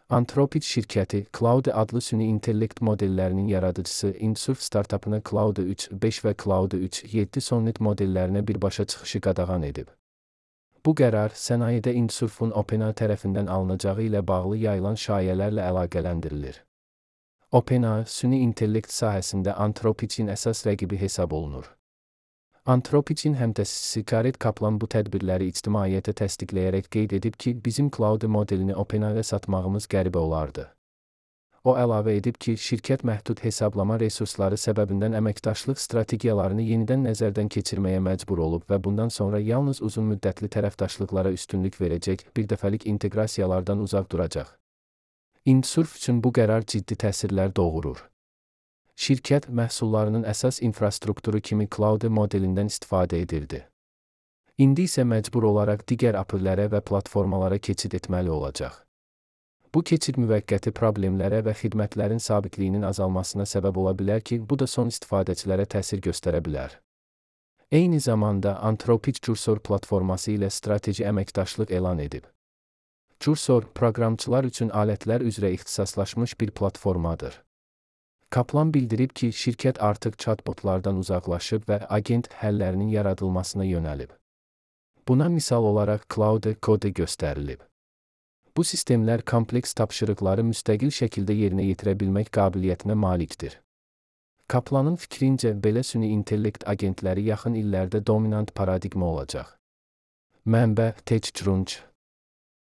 Anthropic şirkəti, Claude adlı süni intellekt modellərinin yaradıcısı Insurf startapına Claude 3.5 və Claude 3.7 Sonnet modellərinə birbaşa çıxışı qadağan edib. Bu qərar, sənayedə Insurf'un OpenAI tərəfindən alınacağı ilə bağlı yayılan şayələrlə əlaqələndirilir. OpenAI, süni intellekt sahəsində Anthropicin əsas rəqibi hesab olunur. Anthropicin həmtəsisi Gareth Kaplan bu tədbirləri ictimaiyyətə təsdiqləyərək qeyd edib ki, bizim Claude modelini OpenAI-ə satmağımız qəribə olardı. O əlavə edib ki, şirkət məhdud hesablama resursları səbəbindən əməkdaşlıq strategiyalarını yenidən nəzərdən keçirməyə məcbur olub və bundan sonra yalnız uzunmüddətli tərəfdaşlıqlara üstünlük verəcək, birdəfəlik inteqrasiyalardan uzaq duracaq. Insurf üçün bu qərar ciddi təsirlər doğurur. Şirkət məhsullarının əsas infrastrukturu kimi Claude modelindən istifadə edirdi. İndi isə məcbur olaraq digər API-lərə və platformalara keçid etməli olacaq. Bu keçid müvəqqəti problemlərə və xidmətlərin sabitliyinin azalmasına səbəb ola bilər ki, bu da son istifadəçilərə təsir göstərə bilər. Eyni zamanda Anthropic Cursor platforması ilə strateji əməkdaşlıq elan edib. Cursor, proqramçılar üçün alətlər üzrə ixtisaslaşmış bir platformadır. Kaplan bildirib ki, şirkət artıq chatbotlardan uzaqlaşıb və agent həllərinin yaradılmasına yönəlib. Buna misal olaraq Claude Code göstərilib. Bu sistemlər kompleks tapşırıqları müstəqil şəkildə yerinə yetirə bilmək qabiliyyətinə malikdir. Kaplanın fikrincə, belə süni intellekt agentləri yaxın illərdə dominant paradigma olacaq. Mənbə: TechCrunch